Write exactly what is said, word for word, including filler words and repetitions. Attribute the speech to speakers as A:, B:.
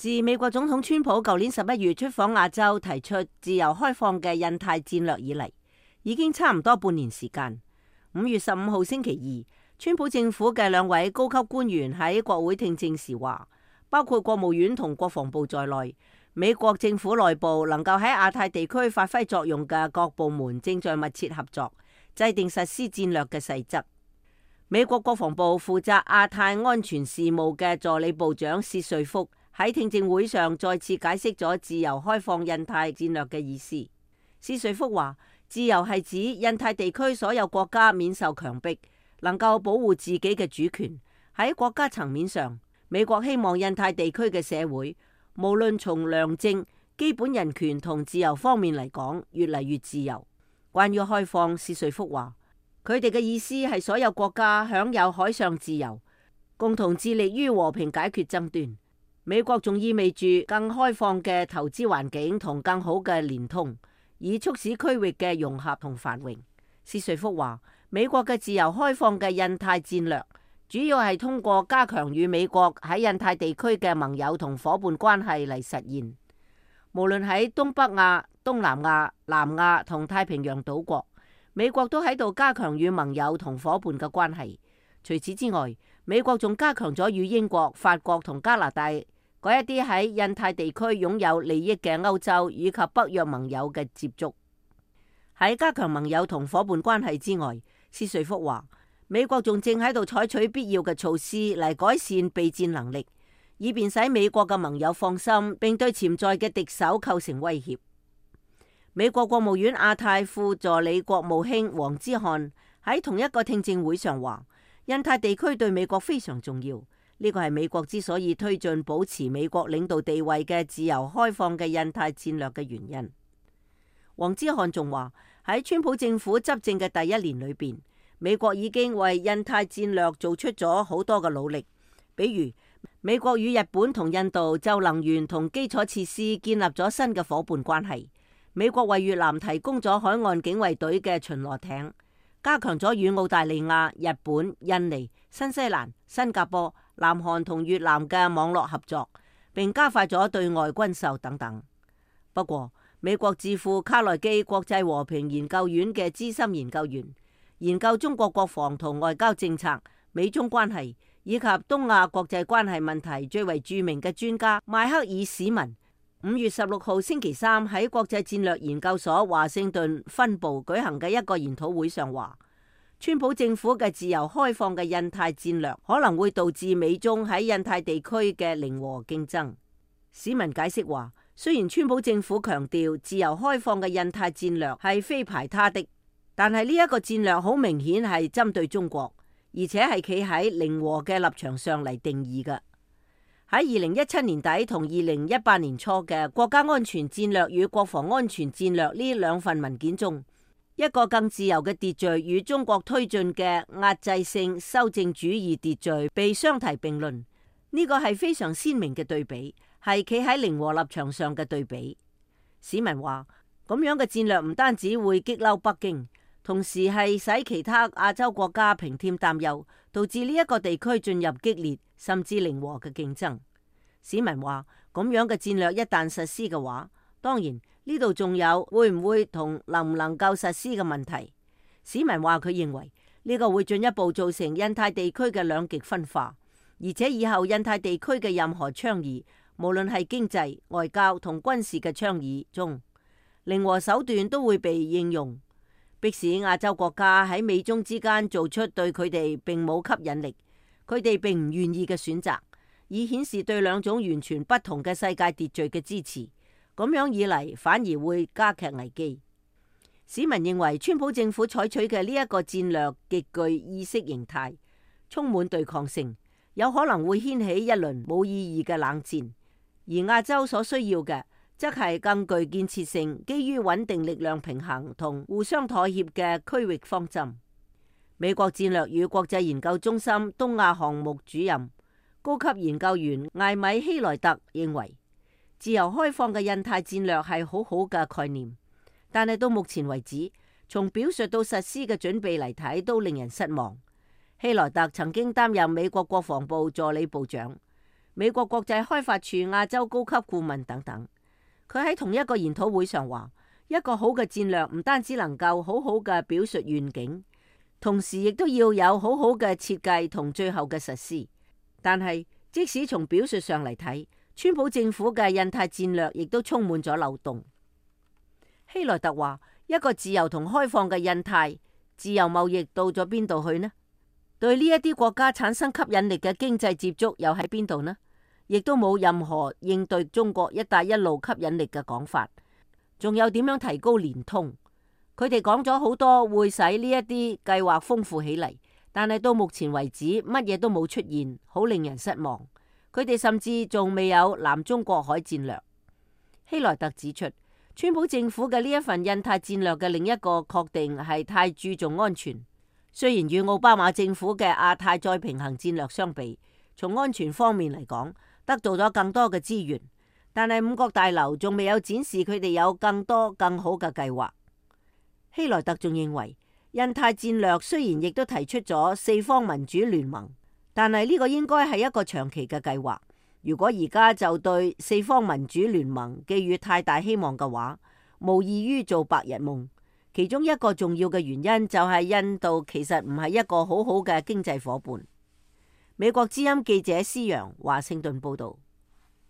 A: 自美國總統川普舊年十一月出訪亞洲，提出自由開放嘅印太戰略以嚟，已經差唔多半年時間。五月十五號星期二，川普政府嘅兩位高級官員喺國會聽證時話，包括國務院同國防部在內，美國政府內部能夠喺亞太地區發揮作用嘅各部門正在密切合作，制定實施戰略嘅細則。美國國防部負責亞太安全事務嘅助理部長薛瑞福喺聽證會上再次解釋咗自由開放印太戰略嘅意思。薛瑞福話，自由係指印太地區所有國家免受強迫，能夠保護自己嘅主權。喺國家層面上，美國希望印太地區嘅社會，無論從良政、基本人權同自由方面嚟講，越嚟越自由。關於開放，薛瑞福話，佢哋嘅意思係所有國家享有海上自由，共同致力於和平解決爭端。美國仲意味住更開放嘅投資環境同更好嘅連通，以促使區域嘅融合同繁榮。薛瑞福話，美國嘅自由開放嘅印太戰略，主要係通過加強與美國喺印太地區嘅盟友同夥伴關係嚟實現。無論喺東北亞、東南亞、南亞同太平洋島國，美國都喺度加強與盟友同夥伴嘅關係。除此之外，美國仲加強咗與英國、法國同加拿大嗰一啲喺印太地區擁有利益嘅歐洲以及北約盟友嘅接觸。喺加強盟友同夥伴關係之外，薛瑞福話，美國仲正喺度採取必要嘅措施嚟改善備戰能力，以便使美國嘅盟友放心，並對潛在嘅敵手構成威脅。美國國務院亞太副助理國務卿黃之漢喺同一個聽證會上話，印太地區對美國非常重要，呢個係美國之所以推進保持美國領導地位嘅自由開放嘅印太戰略嘅原因。黃之漢仲話，喺川普政府執政嘅第一年裏邊，美國已經為印太戰略做出咗好多嘅努力，比如美國與日本同印度就能源同基礎設施建立咗新嘅夥伴關係，美國為越南提供咗海岸警衛隊嘅巡邏艇，加強咗與澳大利亞、日本、印尼、新西蘭、新加坡、南韓同越南嘅網絡合作，並加快咗對外軍售等等。不過，美國智庫卡內基國際和平研究院嘅資深研究員，研究中國國防同外交政策、美中關係以及東亞國際關係問題最為著名嘅專家邁克爾史文，五月十六號星期三喺國際戰略研究所華盛頓分部舉行嘅一個研討會上話，川普政府嘅自由開放嘅印太戰略可能會導致美中喺印太地區嘅零和競爭。史文解釋話，雖然川普政府強調自由開放嘅印太戰略係非排他的，但係呢一個戰略好明顯係針對中國，而且係企喺零和嘅立場上嚟定義嘅。喺二零一七年底同二零一八年初嘅國家安全戰略與國防安全戰略呢兩份文件中，一個更自由嘅秩序與中國推進嘅壓制性修正主義秩序被相提並論，呢個係非常鮮明嘅對比，係企喺零和立場上嘅對比。史文話，咁樣嘅戰略唔單止會激嬲北京，同時係使其他亞洲國家平添擔憂，導致呢一個地區進入激烈甚至零和嘅競爭。史文話，咁樣嘅戰略一旦實施嘅話，當然呢度仲有會唔會同能唔能夠實施嘅問題。史文話，佢認為呢個會進一步造成印太地區嘅兩極分化，而且以後印太地區嘅任何倡議，無論係經濟、外交同軍事嘅倡議中，零和手段都會被應用，迫使亞洲國家喺美中之間做出對佢哋並冇吸引力、佢哋並唔願意嘅選擇，以顯示對兩種完全不同嘅世界秩序嘅支持。咁樣以嚟反而會加劇危機。市民認為川普政府採取嘅呢一個戰略極具意識形態，充滿對抗性，有可能會掀起一輪冇意義嘅冷戰。而亞洲所需要嘅，則係更具建設性、基於穩定力量平衡同互相妥協嘅區域方針。美國戰略與國際研究中心東亞項目主任、高級研究員艾米希萊特認為，自由開放嘅印太戰略係好好嘅概念，但係到目前為止，從表述到實施嘅準備嚟睇，都令人失望。希萊特曾經擔任美國國防部助理部長。美國國際開發處亞洲高級顧問等等。佢喺同一個研討會上話，一個好嘅戰略唔單止能夠好好嘅表述願景，同時亦都要有好好嘅設計同最後嘅實施。但係即使從表述上嚟睇，川普政府嘅印太戰略亦都充滿咗漏洞。希萊特話，一個自由同開放嘅印太，自由貿易到咗邊度去呢？對呢一啲國家產生吸引力嘅經濟接觸又喺邊度呢？亦都冇任何應對中國一帶一路吸引力嘅講法。仲有點樣提高連通？佢哋講咗好多會使呢一啲計劃豐富起嚟，但係到目前為止乜嘢都冇出現，好令人失望。佢哋甚至仲未有南中國海戰略。希萊特指出，川普政府嘅呢一份印太戰略嘅另一個確定係太注重安全。雖然與奧巴馬政府嘅亞太再平衡戰略相比，從安全方面嚟講得到咗更多嘅資源，但係五角大樓仲未有展示佢哋有更多更好嘅計劃。希萊特仲認為，印太戰略雖然亦都提出咗四方民主聯盟，但係呢個應該係一個長期嘅計劃。如果而家就對四方民主聯盟寄予太大希望嘅話，無異於做白日夢。其中一個重要嘅原因就係印度其實唔係一個好好嘅經濟夥伴。美國之音記者施洋華盛頓報道。